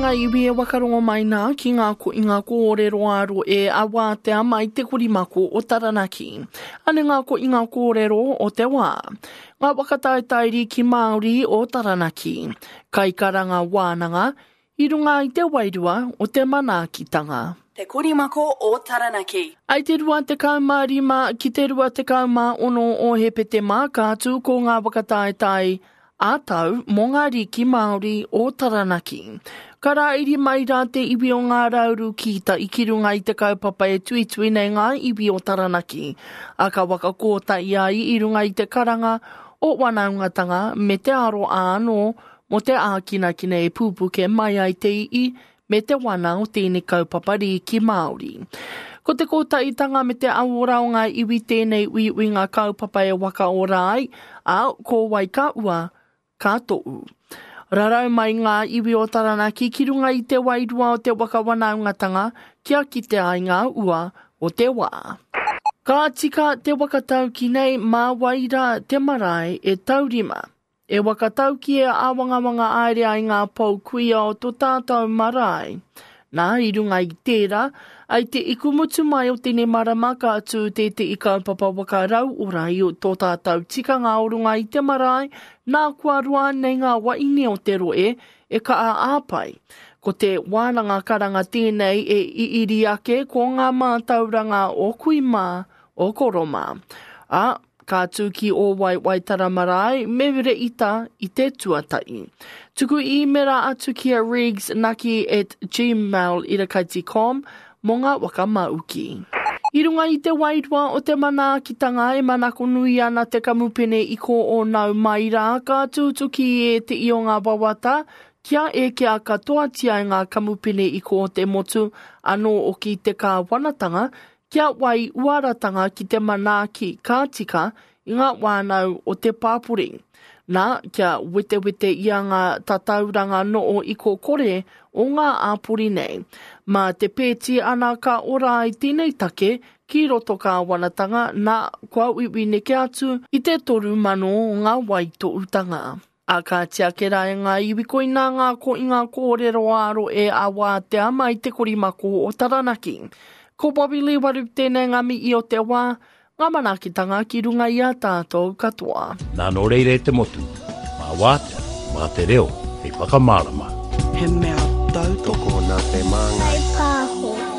ngā iwi e wakarongo mai nā ki ngā koinga kōrero ā roe a Wātea mai te korimako o Taranaki. Ane ngā koinga kōrero o te wā. Ngā waka taetae rīki Māori o Taranaki. Kaikaranga wānanga, i runga i te wairua o te manaakitanga. Te Korimako o Taranaki. I te 25 ki te 26 o Hepetema ka tū ko ngā waka taetae ā-tau mō ngā rīki Māori o Taranaki. Ka rāiri mai rā te iwi o Ngā Rauru ki tai ki runga i te kaupapa e tuitui nei ngā iwi o Taranaki, ā, ka waka kōtahi ai i runga i te karanga o wanaungatanga me te aroā anō mō te ākinakina e pūpuke mai ai te i'i me te wana o tēnei kaupapa rīki Māori. Ko te kōtaitanga me te auora o ngā iwi tēnei uiuinga kaupapa e whakaora ai, ā, ko wai ka ua, ka toʻu. Rarau mai ngā iwi o Taranaki ki runga i te wairua o te waka wanaungatanga kia kite ai ngā ua o te wā. Ka tika te waka tauki nei mā wai rā te marae e taurima. E whakatauki e āwangawanga aere ai ngā pou kuia o to tātou marae. Nā, i runga i tērā, ai te ikumutu mai o tēnei marama ka tū tētehi kaupapa waka rauora i tō tātou tikanga o runga i te marae, nā kua roa nei ngā waeine o te rohe e kaha āpai. Ko te wānanga karanga tēnei e iiri ake ko ngā mātauranga o kui mā, o koro mā. Ā, Ka tū ki Ōwai Waitara Marae me Reita i te tuatahi. Tuku īmera atu ki a regsnaki at gmail irakaiti com mō ngā waka māuki. I runga i te wairua o te manaakitanga e manako nui ana te kamupene i kō o nau mai rā ka tūtuki e te i o ngā wawata kia ekea katoatia e ngā kamupene i kō te motu anō oki te kāwanatanga Kia whai uaratanga ki te manaaki ka tika i ngā whānau o te pāpori. Nā, kia wetewete ia ngā tatauranga noo iko kore o ngā āpori nei. Mā te pēti ana ka ora ai tēnei take ki roto kāwanatanga, nā, kua uiui neke atu i te 3,000 o ngā waitohutanga. Ā, ka tiake rā e ngā iwi koinā ngā koinga kōrero ā-rohe a Wātea mai te korimako o Taranaki. Ko Bobby Lee Waru tēnei ngā mihi o te wā, ngā manaakitanga ki runga i a tātou katoa. Nā nō reira e te motu, mā Wātea, mā te reo hei whakamārama. He mea tautoko. Tokona te māngai. Whai pāho.